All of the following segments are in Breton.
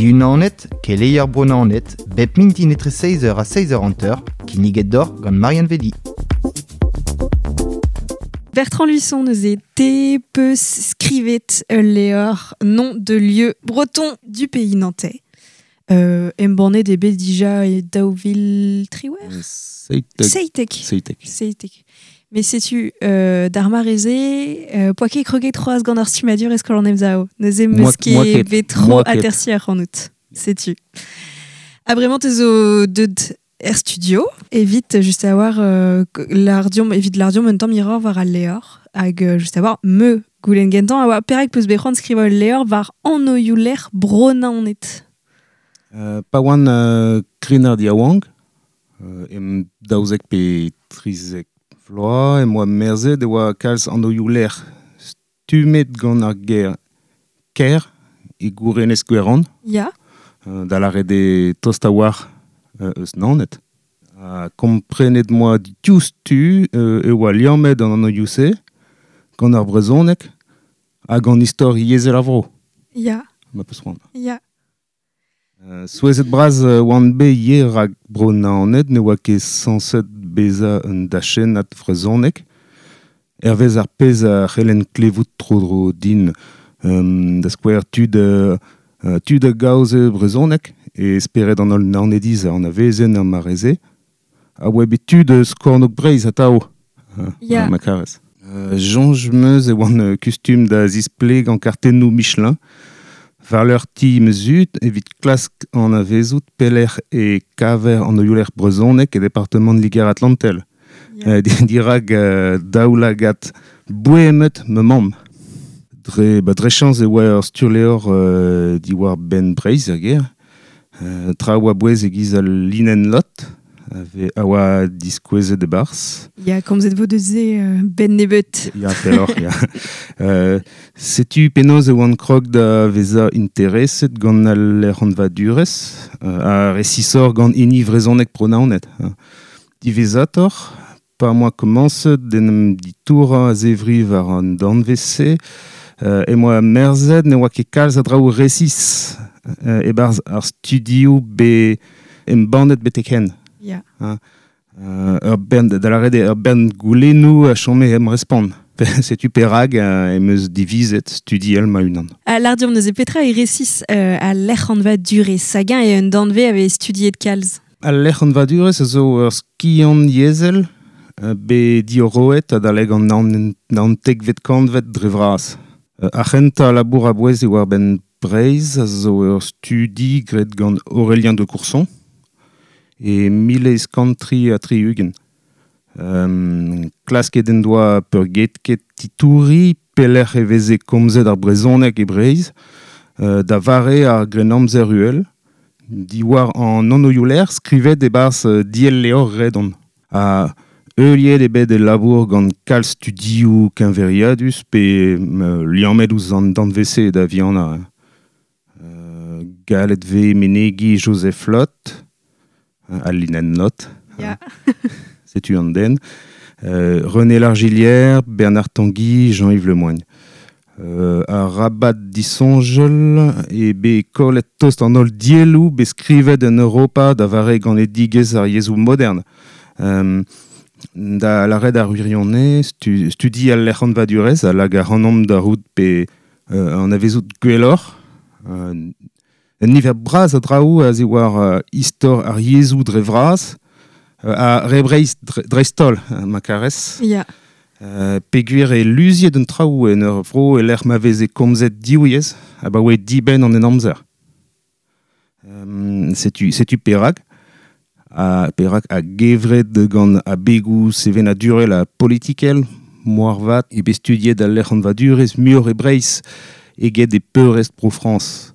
Diunanet, keleier Bro-Naoned, bep mintin etre 6h ha 6h50, kinniget deoc'h gant Marianne Vedi. Bertrand Luçon neuze te peus skrivet ul levr nom de lieu breton du pays nantais. Euh, embannet eo bet dija e 2018 Seitek. Seitek. Seitek. Seitek. Mais setu euh, d'ar mare-se, euh, poa ket kroget c'hoazh gant ar stummadur e skol an Emsav. Neuze Moi- meus moi ket ket. bet tro Moi ket. atersiñ ac'hanout. Setu. Ha bremañ te zo deut er studio, evit just a-war euh, l'ardiom, evit l'ardiom un tamm hiroc'h war al levr, hag euh, just a-war me goulenn gentañ a oa perak peus bet c'hoant skrivañ ul levr war anvioù-lec'h Bro-Naoned. Euh, pa oan euh, krennard yaouank, euh, em daouzek pe trizek vloaz, em boa merzet e oa kalz anvioù-lec'h stummet gant ar ger ker e gourenez Gwerand, Ya, euh, da lâret eo tost a-walc'h euh, eus Naoned. Ha komprenet moa diouzhtu euh, e oa liammet an anvioù-se gant ar brezhoneg hag an istor yezhel ar vro, ya, ma peus c'hoant. ya. Euh, souezhet bras euh, oan bet ivez rak Bro-Naoned ne oa ket sañset bezañ un dachennad vrezhonek. Hervez ar pezh a c'hellen klevout tro-dro din euh, da skouer tud, euh, euh, tud a gaoze brezhoneg e spered an holl Naonediz a anavezen ar mare-se. A oa bet tud eus kornôg Breizh atav, euh, Ya. ma karez. Euh, soñj 'm eus e oan euh, kustum da zisplegañ kartennoù Michelin war leur ti ma zud evit klask anavezout pelec'h e kaver anvioù-lec'h brezhonek e departamant Liger-Atlantel. Ya. Euh, dirak euh, daoulagad boemet ma mamm. Dre, ba, dre chañs e oa ur sturlevr euh, diwar benn Breizh er gêr. Euh, tra oa bouez e-giz al linenn lot, ave, a oa diskouezet e-barzh. Ya, komzet vo deus se euh, ben nebeut. Ya, pelloc'h, ya. Euh, setu penaos e oan krog da vezañ intereset gant al lec'hanvadurezh, euh, ha resisoc'h gant hini vrezhonek Bro-Naoned. Hein. Diwezhatoc'h, pa 'm boa komañset d'en em ditourañ a-zevri war an danvez-se, euh, em boa merzet ne oa ket kalz a draoù resis euh, e-barzh ar studioù bet embannet betek-henn. Ya. Euh, ur bern, da lâret eo ur bern goulennoù a chome em respont. Setu perak euh, em eus divizet studiel ma-unan. Ha l'ardiom neuze petra e resis euh, al lec'hanvadurezh hag-eñ eo un danvez a vez studiet kalz. Al lec'hanvadurezh a zo ur skiant yezhel euh, bet diorroet adalek an naontekvet kantved dre vras. Euh, ar c'hentañ labour a-bouez eo war benn Breizh a zo ur studi graet gant Aurélien de Courson e 1863. Euh, klasket en doa peurgetket titouri pelec'h e veze komzet ar brezhoneg e Breizh euh, da vare ar grennamzer uhel diwar an anvioù-lec'h skrivet e-barzh euh, diell levr Redon. Ha heuliet eo bet e labour gant kalz studioù keñveriadus pe euh, liammet ouzh an danvez-se da vihanañ. Euh, gallet vez menegiñ Joseph Loth, hein, al linenn Lot, Ya. setu an den, euh, René Largillière, Bernard Tanguy, Jean-Yves Lemoigne. Euh, ar rabat disoñjel e bet kollet tost an holl dielloù bet skrivet en Europa da vare ganedigezh ar yezhoù modern. Euh, da lâret ar wirionez, stu, studi al lec'hanvadurezh a lak ac'hanomp da rout pe euh, anavezout gwelloc'h. Euh, un niver bras a draoù a ziwar euh, istor ar yezhoù dre vras, euh, ha re Breizh dreist-holl, euh, ma karez. Ya. Euh, peogwir e luziet un traoù en ur vro e lec'h ma veze komzet div yezh abaoe dibenn an henamzer. Euh, setu, setu perak, ha perak a gevred gant abegoù sevenadurel ha politikel, moarvat e bet studiet al lec'hanvadurezh muioc'h e Breizh eget e peurrest Bro-Frañs.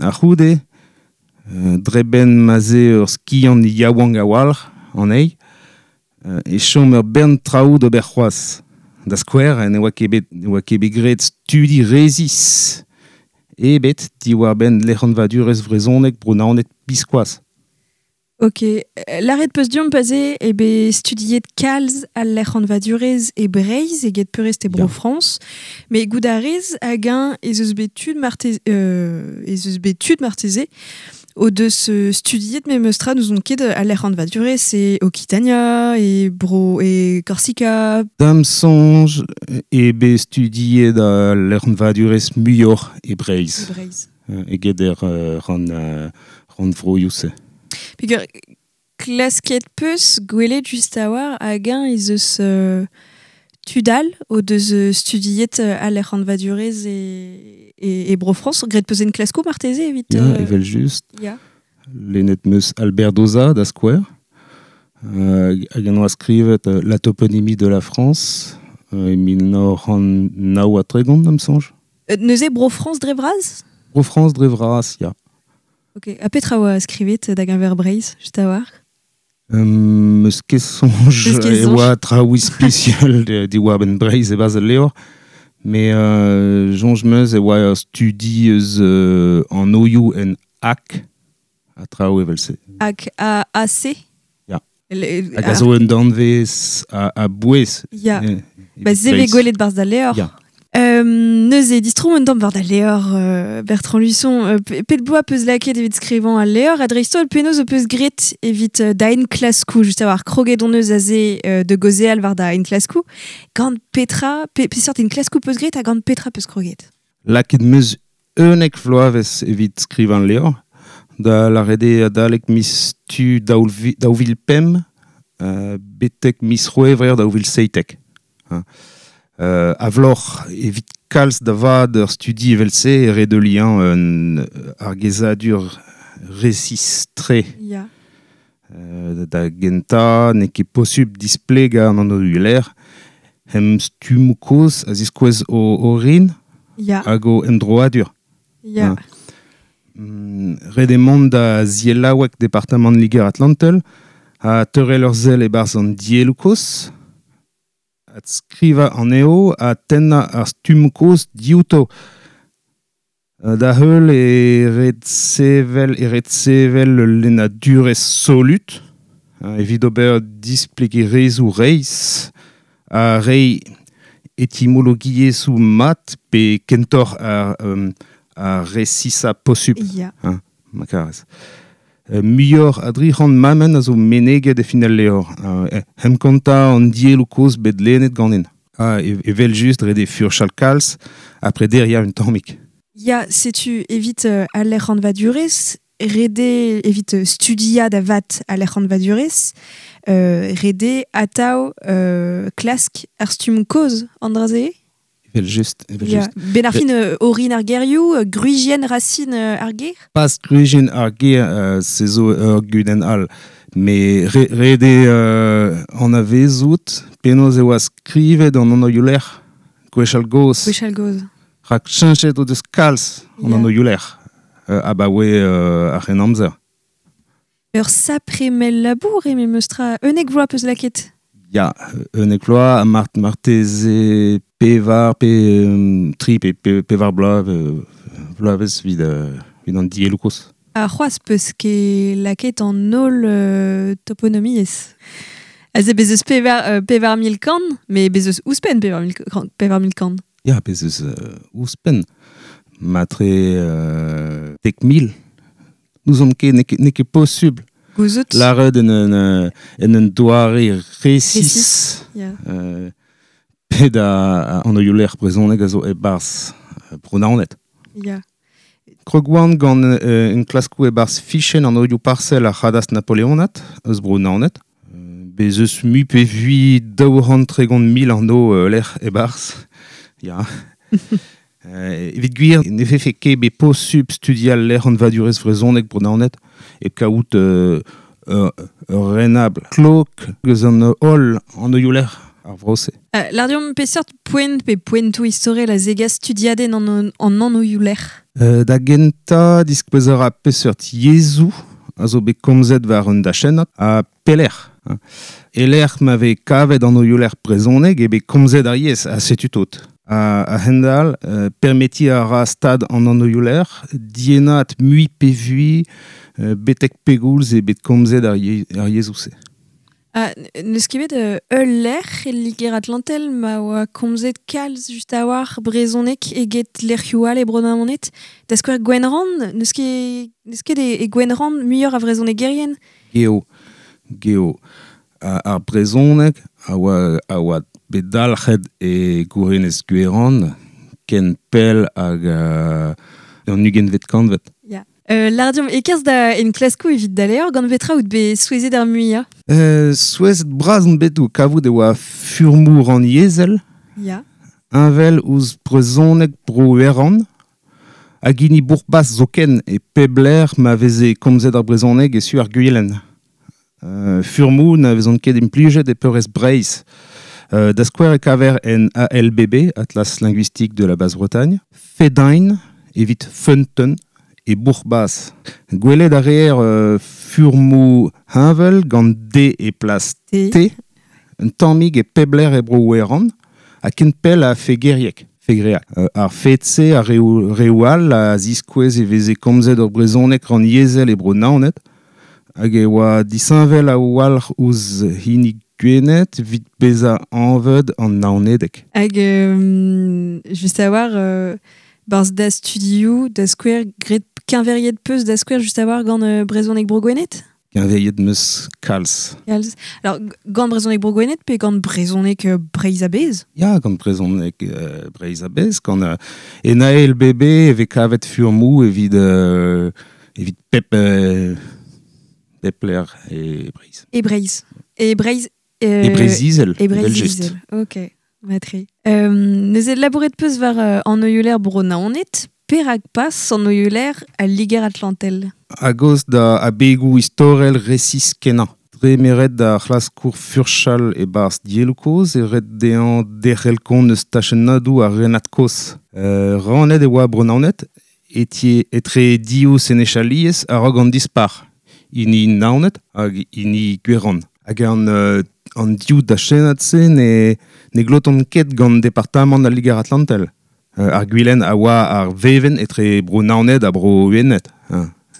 A-c'houde, euh, dre benn ma'z eo ur skiant yaouank a-walc'h anezhi, euh, e chom ur bern traoù d'ober c'hoazh. Da skouer, ne oa ket bet, ne oa ket bet graet studi resis ebet diwar-benn lec'hanvadurezh vrezhonek Bro-Naoned biskoazh. Ok, Laret peus diomp paze e be studiet kalz al lec'h anvadurez e Breizh eget peurrest e Bro France, me gout a rez hag un ez eus bet tud marteze, ez eus bet tud marteze o deus studiet me meustra nous on ket al lec'h anvadurez e Occitania e Bro e Corsica. Dam sonj e be studiet al lec'h anvadurez muioc'h e Breizh. E Breizh. Eget er ran vroioù-se. Peger klasket peus gwelet just a war hag un ez eus tudal o deus studiet al lec'h anvadurez e Bro-France. Gret peus en klasko marteze evit... Ya, evel just. Ya. Lennet meus Albert Dauzat da skouer. Hag an oa skrivet La toponymie de la France e 1939, am sonj. Neuze Bro-France dre vras? Bro-France dre vras, ya. Ok, a petra oa skrivet da geñver Breizh, just a war? Meus ket soñj e oa traoù spesial diwar ben Breizh e bas al levr, me soñj meus e oa studi eus an oioù en ak a traoù evel-se. Ak a AC? Ya. Hag a zo un danvez a bouez. Ya. Ba se vez gwelet barzh da levr. Ya. Neuze, distro un tamm war da levr Bertrand Luçon, pet boa peus laket evit skrivañ al levr, a dreist-holl penaos o peus gret evit da enklaskoù, just a war kroget on eus aze de gozeal war da enklaskoù, gant petra, peseurt enklaskoù peus gret ha gant petra peus kroget? Laket meus unnek vloavezh evit skrivañ levr, da lâret eo adalek miz tu 2005, betek miz c'hwevrer 2017. A vloc'h evit kalz da vat ur studi evel-se e re de lien un ar gezadur resis-tre. Ya. Da gentañ n'eo ket posubl displegañ an anv-lec'h hem stummoù kozh a ziskouez o orin hag o emdroadur. Ya. Ret eo mont da Zielaoueg departamant Liger-Atlantel ha teurel ur sell e-barzh an dielloù kozh. At skrivañ anezho ha tennañ ar stummoù kozh diouto. Da heul e ret sevel ul lennadurezh solut, evit ober displegerezhioù reizh ha reiñ etimologiezhioù mat pe kentoc'h ar resisañ posupl. Ya. Ma karez. Muioc'h a 300 mammenn a zo meneget e fin al levr. Hem kontañ an dielloù kozh bet lennet ganin. Evel just ret eo furchal kalz ha prederiañ un tammig. Ya, setu evit al lec'h anvadurez, ret eo evit studiañ da vat al lec'h anvadurez, ret eo atav klask ar stumm kozh an dra-se? Evel just, evel just. Ben ar fin orin ar gerioù, gwrizienn racine ar ger? Pas gwrizienn ar ger, se zo ur gudenn all. Me ret eo anavezout penaos e oa skrivet an anvioù-lec'h gwechall gozh. Gwechall gozh. Rak cheñchet o deus kalz an anvioù-lec'h abaoe ar c'henamzer. Ur sapre mell labour eo memes tra. Unnek vloaz peus laket? Ya, unnek vloaz ha marteze pevar pe tri pe pevar bloaz vloavezh evit an dielloù kozh. Ha c'hoazh peus ket laket an holl toponomiezh. Aze bez eus 4 100, mais bez eus ouzhpenn 4 100. Ya, bez eus ouzhpenn. Matre 10 000. N'ouzon ket, n'eo ket posubl. Gouzout. Lâret en un doare resis. Ya. Pet a anvioù-lec'h brezhoneg a zo e-barzh Bro-Naoned. Ya. Krog oan gant un klaskoù e-barzh fichenn an anvioù parsel ar c'hadastr napoleonat eus Bro-Naoned. Bez eus mui pe vui 230 000 anv lec'h e-barzh. Ya. Evit gwir, ne vefe ket bet posubl studial lec'h anvadurezh vrezhoneg Bro-Naoned e kaout ur renabl klok eus an holl anvioù-lec'h ar vro-se. Lâr deomp peseurt poent pe poentoù istorel a zegas studiadenn an anvioù-lec'h? Da gentañ diskouez a ra peseurt yezhoù a zo bet komzet war un dachennad ha pelec'h. E lec'h ma vez kavet anvioù-lec'h brezhoneg eo bet komzet ar yezh, ha setu tout. A hendal, permeti a ra stad an annoioù-lec'h, dienat mui pe vui, betek pegoulz e bet komzet ar yezhoù-se. Ah, neus ket bet ul lec'h e Liger Atlantel ma oa komzet kalz just a-walc'h brezhoneg eget lec'hioù all e Bro-Naoned. Da skouer Gwenrann, neus ket e Gwenrann muioc'h a vrezhonegerien? Geo, geo. Ar brezhoneg a oa bet dalc'het e gourenez Gwerrann, ken pell hag an ugentvet kantved. Ya. Lardiom, e kerzh da enklaskoù evit da levr, gant petra out bet souezhet ar muiañ? Souezhet bras on bet o kavout e oa furmoù rannyezhel. Ya. Heñvel ouzh brezhoneg Bro-Werrann, hag hini Bourc'h-Bas zoken e pep lec'h ma veze komzet ar brezhoneg e su ar Gwilen. Furmoù na vezont ket implijet e peurrest Breizh. Da skouer e kaver en ALBB, Atlas linguistique de la Basse-Bretagne, Fedain evit feunteun e Bourc'h-Bas. Gwelet a reer furmoù heñvel gant D e plas T, un tammig e pep lec'h e Bro-Werrann, ha ken pell a Fegerieg. Fegreak. Ar fed-se a reoù all a ziskouez e veze komzet ur brezhoneg rannyezhel e Bro-Naoned, hag e oa disheñvel a-walc'h ouzh hini Gwened evit bezañ anvet an Naonedeg. Hag just a-walc'h barzh da studioù, da skouer graet keñveriet peus da skouer just a-walc'h gant brezhoneg Bro-Gwened? Keñveriet meus kalz. Kalz. Alors, gant brezhoneg Bro-Gwened pe gant brezhoneg Breizh a-bezh? Ya, gant brezhoneg Breizh a-bezh. Gant en ALBB e vez kavet furmoù evit pep lec'h e Breizh. E Breizh. E Breizh. E Breizh-Izel. E Breizh-Izel, ok. Matre. Neuze labouret peus war an oioù-lec'h Bro-Naoned, perak pas an oioù-lec'h al Liger-Atlantel? A-gaoz da abegoù istorel resis kenañ. Dre meret da c'hlaskour furchal e-barzh dielloù kozh e ret dezhañ derc'hel kont eus tachennadoù ar renad kozh. Rannet e oa Bro-Naoned etre div senechaliezh a-raok an dispac'h, hini Naoned hag hini Gwerrann. Hag an div dachennad-se ne glotont ket gant departamant al Liger-Atlantel. Ar Gwilen a oa ar vevenn etre Bro-Naoned ha Bro-Wened,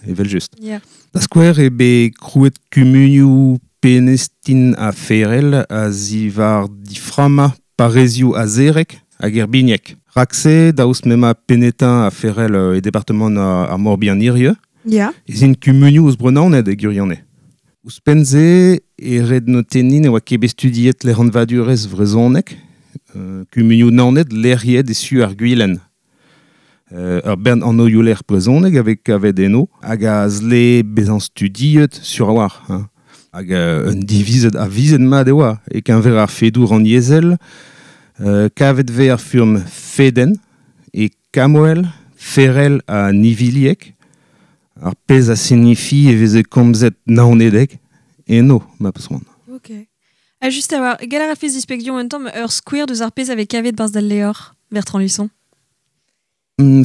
evel-just. Yeah. Da skouer eo bet krouet kumunioù Penestin ha Ferel a ziwar diframmañ parrezioù Azereg hag Erbigneg. Rak-se, daoust m'emañ Penetin ha Ferel e departamant ar Morbihan hiziv, yeah. Ez int kumunioù eus Bro-Naoned e gwirionez. Ouzhpenn-se e ret notenniñ ne oa ket bet studiet lec'hanvadurezh vrezhonek, kumunioù Naoned lec'hiet e su ar Gwilen. Ur bern anvioù-lec'h brezhonek a vez kavet eno hag a zle bezañ studiet sur a-walc'h. Hein. Hag un divizet avizet mat e oa e-keñver ar fedoù rannyezhel, kavet vez ar furm Feden e Kamoel, Ferel ha Nivilieg, ar pezh a signifi e veze komzet naonedeg eno, ma peus c'hoant. Ok. Ha just a-walc'h, gall a rafez displegiñ un tamm ur skouer deus ar pezh a vez kavet barzh d'al levr, Bertrand Luçon?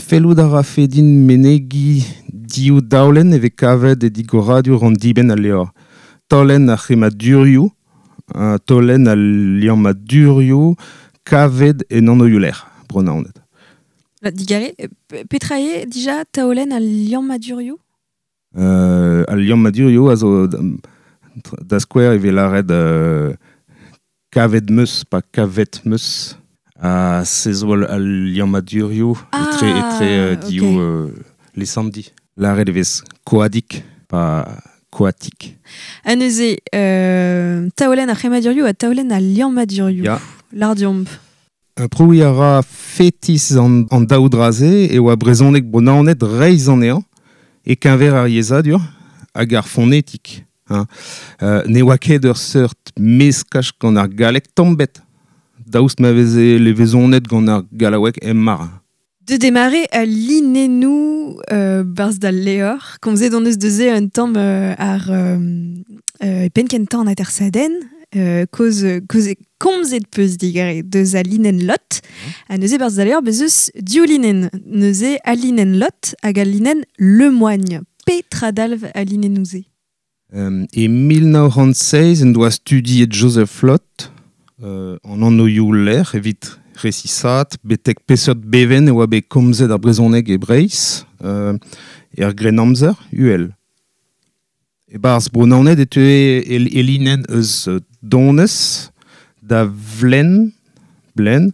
Fellout a rafe din menegiñ div daolenn e vez kavet e digoradur an dibenn al levr. Taolenn ar c'hemmadurioù, taolenn al liammadurioù kavet en anvioù-lec'h, Bro-Naoned. Digare, petra eo dija taolenn al liammadurioù? Al liammadurioù a zo da skouer e vez lâret kavet meus, pa kavet meus. Ha se zo al liammadurioù etre div lesamdi. Lâret e vez koadik, pa koatik. Ha neuze, taolenn ar c'hemmadurioù ha taolenn al liammadurioù. Ya. Lardiomp. Prouiñ a ra fetis an daou dra-se e oa brezhoneg Bro-Naoned reizh anezhañ e-keñver ar yezhadur hag ar fonetik. Hein. Ne oa ket ur seurt meskaj gant ar galleg tamm-bet, daoust ma veze levezonet gant ar gallaoueg emmar. De démarrer a linennoù barzh d'al levr, komzet hon eus deus un tamm ar penn kentañ an atersadenn, koz komzet peus digare deus a linenn lot, ha neuze barzh d'al levr bez eus div linenn, neuze a linenn lot hag a linenn Lemoigne. Petra dalv a linennoù-se? E 1906 en doa studiet Joseph Loth an anvioù-lec'h evit resisat, betek peseurt beven e oa bet komzet ar brezhoneg e Breizh, er Grennamzer, uhel. E barz Bro-Naoned e teue elinen eus Donez, da Vlen, Blen,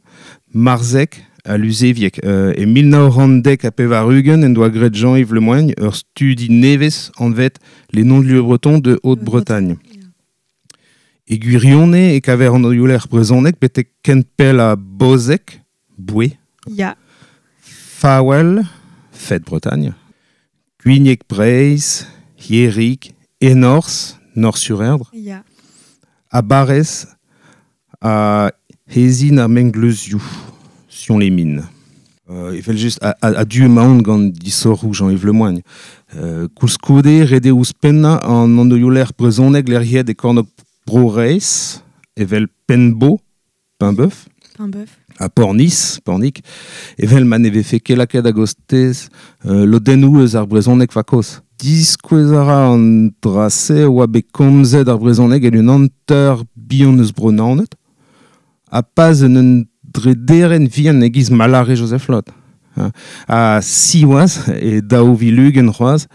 Marzek ha Luzeviek. E 1990 en doa graet Jean-Yves Le Moigne ur studi nevez anvet Les noms de lieux bretons de Haute-Bretagne. E gwirionez e kaver an oioler brezhoneg betek kentpell a Bozeg, Boué. Ya. Faouel, Fête Bretagne. Gwinieg Breizh, Hierig, Enors, Nord-sur-Erdre. Ya. A Barrez, a Hezin ar Mengleuzioù, Sion-les-Mines. Evel just a du emaon gant disoc'hoù Jean-Yves Le Moigne. Koulskoude, ret eo ouzhpennañ an anvioù-lec'h brezhoneg lec'hiet e kornôg Bro-Raez, evel Penbo, Paimboeuf, Paimboeuf. ha Pornizh, Pornic, evel ma ne vefe ket lakaet a-gostez lodennoù eus ar brezhoneg vakoz. Diskouez a ra an dra-se oa bet komzet ar brezhoneg en un hanter bihan eus Bro-Naoned, ha pas en un drederenn vihan e-giz ma lâre Joseph Loth. Ha siwazh, e daou vil ugent c'hoazh,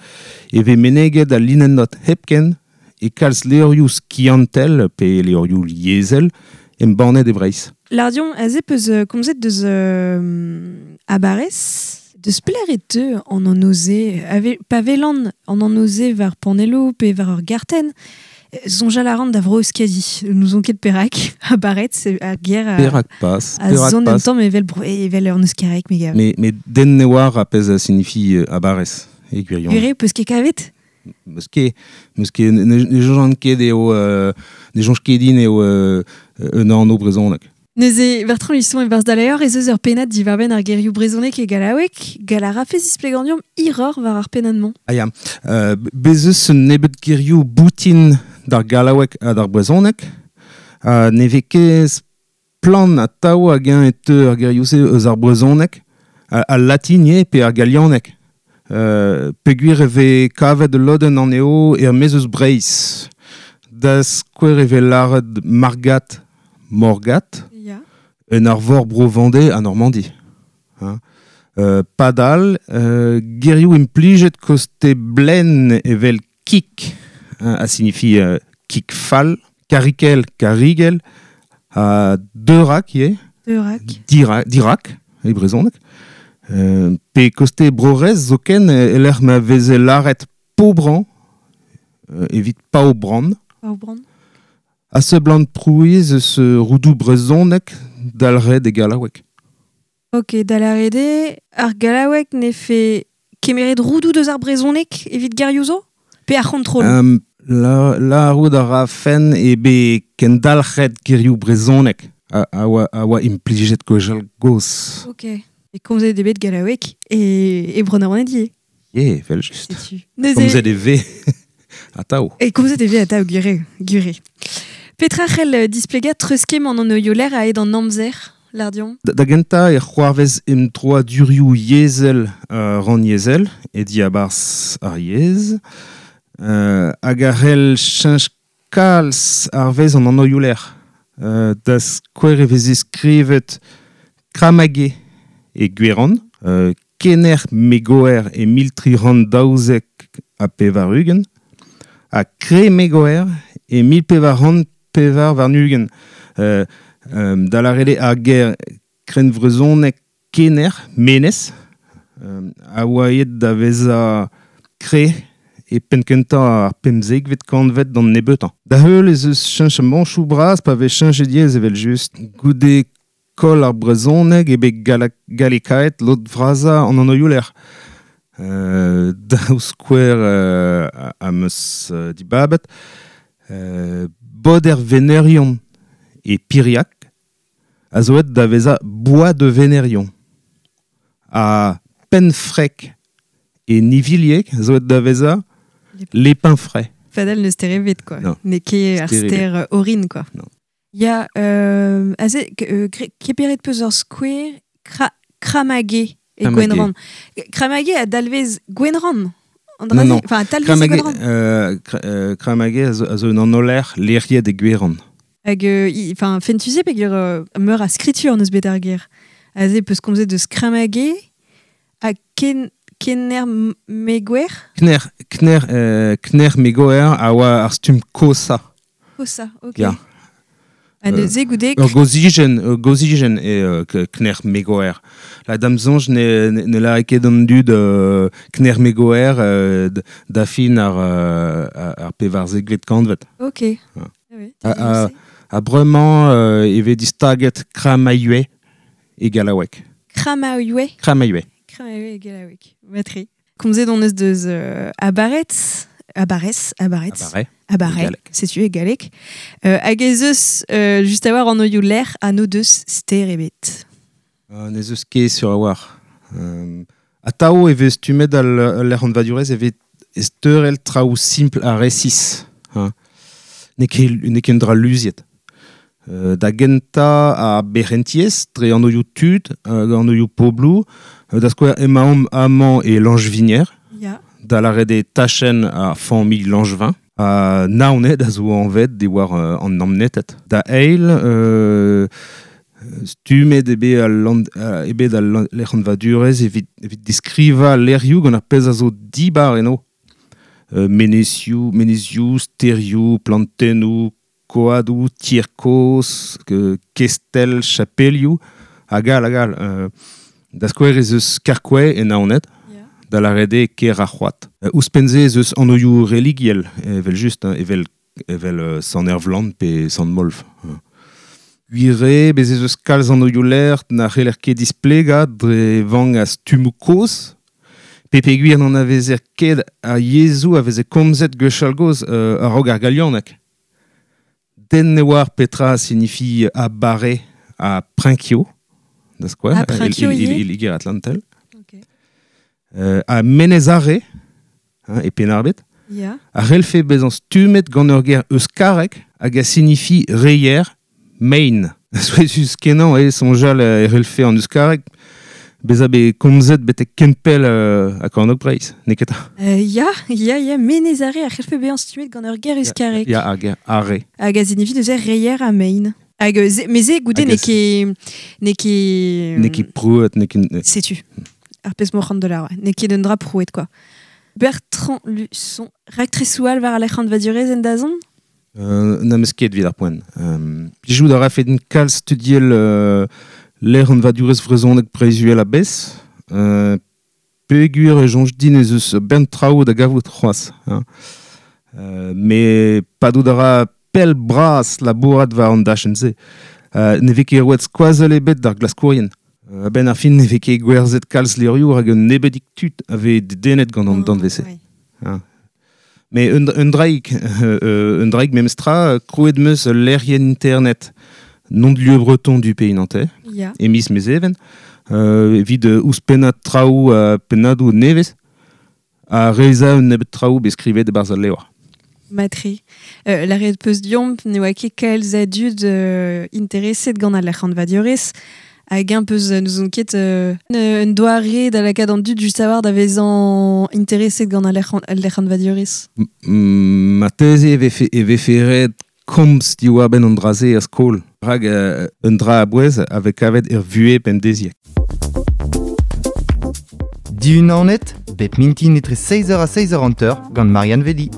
e vez meneget al linennot hepken e kalz levrioù skiantel pe levrioù liezel embannet e Breizh. Lardion, aze peus komzet deus abarez, deus pelec'h e teu an anv-se, pa welan an anv-se war panelloù pe war ur gartenn, soñjal a ran da Vro-Euskadi, n'ouzon ket perak, abaret, c'est ar ger a, Perak pas, a perak zon pas. un tamm evel bro, evel ur euskareg, me gav. Mais den ne oar a pezh a signifie abarez, e gwirion. Gwir eo, peus ket kavet? Meus ket, meus ket, ne, ne soñjan ket eo ne soñj ket din eo un anv brezhoneg. Neuze, Bertrand Luçon e barzh da levr ez eus ur pennad diwar-benn ar gerioù brezhoneg e gallaoueg, gall a rafe zisplegañ hiroc'h war ar pennad-mañ. Ah ya, bez eus un nebeud gerioù boutin d'ar gallaoueg ha d'ar brezhoneg, ha ne vez ket splann atav hag-eñ e teu ar gerioù-se eus ar brezhoneg, al latin ivez pe ar galianeg. Peogwir e vez kavet ul lodenn anezho er-maez eus Breizh. Da skouer e vez lâret Margat, Morgat, Ya. en arvor Bro-Vendée ha Normandi. Hein. Padal, gerioù implijet koste Blen evel kik, hein, a signifie kik fall, karikel, karigel, ha deurak ivez. Deurak. Dirak, e brezhoneg. Pe koste Bro-Raez zoken, e lec'h ma veze lâret Paubran, evit Paobran. Paobran. A seblant prouiz eus roudoù brezhoneg dalc'het e gallaoueg. Ok, da lâret eo, ar gallaoueg ne fe kemeret roudoù deus ar brezhoneg evit gerioù zo? Pe ar c'hontrol? La roud a ra fenn e be kendalc'het gerioù brezhoneg a oa implijet gwechall gozh. Ok. E komzet eo bet gallaoueg e Bro-Naoned ivez. Ye, evel just. Setu. Neuze Komzet e vez atav. E komzet e vez atav, gwir gwir eo. Petra c'hell displegañ treuzkemm an anvioù-lec'h a-hed an amzer, Lardion? Da gentañ e c'hoarvez emdroadurioù yezhel rannyezhel e diabarzh ar yezh, hag a c'hell cheñch kalz ar vez an anvioù-lec'h. Da skouer e veze skrivet Kramage e Gwerann, Kener Megoer e 1392, ha Kre Megoer e 1424. Da lâret eo ar ger krennvrezhoneg Kener, Menez, a oa aet da vezañ kre e penn-kentañ ar pemzekvet kantved d'an nebeutañ. Da heul ez eus cheñchamantoù bras pa vez cheñchet yezh evel just. Goude koll ar brezhoneg eo bet gallekaet lod vrasañ an anvioù-lec'h. Daou skouer am eus dibabet. Bod er Venerion e Piriac a zo aet da vezañ Bois de Venerion. Ha Penfrec e Nivilieg a zo aet da vezañ Les Pinfrais. Fadel ne ster ebet, quoi. Non. N'eo ket ar Ster ebet. ster orin, quoi. Non. Ya, aze, keperet peus ur skouer Kramage e Kramage. Gwenrann. Kramage a dalvez Gwenrann. An Non, dra-se, non. enfin, a talvez Kramage, Gwenrann. Kramage a zo un anv-lec'h lec'hiet e Gwerann. Hag, enfin, fentuze peogwir meur a skritur neus bet ar ger. Aze peus komzet deus Kramage ha ken, Kener Megouer. Kner Megouer a oa ar stumm kosa. Kosa, ok. Ya. Ha neuze goude... Ur gozigen eo Kner Megouer. La dam soñj ne lâre ket an dud Kner Megouer da fin ar pevarzekvet kantved. Ok. Ah oui, Ha bremañ e vez distaget Kramailhue e gallaoueg. Kramailhue. Kramailhue. Kramailhue e gallaoueg. Matre. Komzet on eus deus Abaretz, Abarez, Abaretz. Abarè, setu e galleg. Hag ez eus just a-walc'h anvioù lec'h ha n'o deus ster ebet. N'ez eus ket sur a-walc'h. Atav e vez stummet al lec'hanvadurezh evit ezteurel traoù simpl ha resis. Hein. N'eo ket un dra luziet. Da gentañ ar berc'hentiezh dre anvioù tud hag anvioù pobloù. Da skouer emaomp amañ e Lanjvinier, da lâret eo tachenn ar familh Langevin. Ha Naoned a zo anvet diwar an Namneted. Da eil, stummet eo bet al lec'hanvadurezh evit deskrivañ lec'hioù gant ar pezh a zo dibar eno. Menezioù, stêrioù, plantennoù, koadoù, tier kozh, kestell, chapelioù, hag all hag all. Da skouer ez eus Karkouae e Naoned, da lâret eo kêr ar c'hoad. Ouzhpenn-se ez eus anvioù religiel, evel-just, evel Sant Ervlan pe Sant Molv. Gwir eo, bez ez eus kalz anvioù lec'h na c'heller ket displegañ dre vank a stummoù kozh, pe peogwir n'anavezer ket ar yezhoù a veze komzet gwechall-gozh a-raok ar galianeg. Den ne oar petra a signifi abare ha prinkio, da skouer, e Liger-Atlantel. Ha Menez Are, e Penn-ar-Bed, a c'hellfe bezañ stummet gant ur ger euskarek hag a signifi reier, mein. Souezhus-kenañ eo soñjal e c'hellfe an euskareg bezañ bet komzet betek ken pell ha kornôg Breizh, n'eo ket 'ta? Ya, ya, ya, Menez Are a c'hellfe bezañ stummet gant ur ger euskarek. Ya, ar ger Are. Hag a signifi neuze reier ha mein. Hag met se goude n'eo ket... N'eo ket... N'eo ket prouet, n'eo ket... Setu, ar pezh m'oc'h de lâret, n'eo ket un dra prouet, quoi. Bertrand Luçon, raktresoù all war al lec'hanvadurezh en dazont? N'am eus ket evit ar poent. Plijout a rafe din kalz studiel lec'hanvadurezh vrezhonek Breizh-Uhel a-bezh. Peogwir e soñj din ez eus bern traoù da gavout c'hoazh. Hein. Met padout a ra pell bras labourat war an dachenn-se. Ne vez ket roet skoazell ebet d'ar glaskourien. A-benn ar fin ne vez ket gwerzhet kalz levrioù rak un nebeudig tud a vez dedennet gant an danvez-se. Mais un draig, un draig memestra, krouet 'm eus ul lec'hienn internet nom de lieu breton du pays nantais, e miz Mezheven, evit ouzhpennañ traoù pennadoù nevez ha reizhañ un nebeud traoù bet skrivet e-barzh al levr. Matre. Lâret 'peus deomp ne oa ket kalz a dud intereset gant al lec'hanvadurezh hag eñ peus n'ouzon ket un doare da lakaat an dud just a-walc'h da vezañ intereset gant al lec'hanvadurezh. Marteze e vefe ret komz diwar-benn an dra-se er skol, rak un dra a-bouez a vez kavet er vuhez pemdeziek. Diunanet, bep mintin etre 6h ha 6h50 gant Marianne Velli.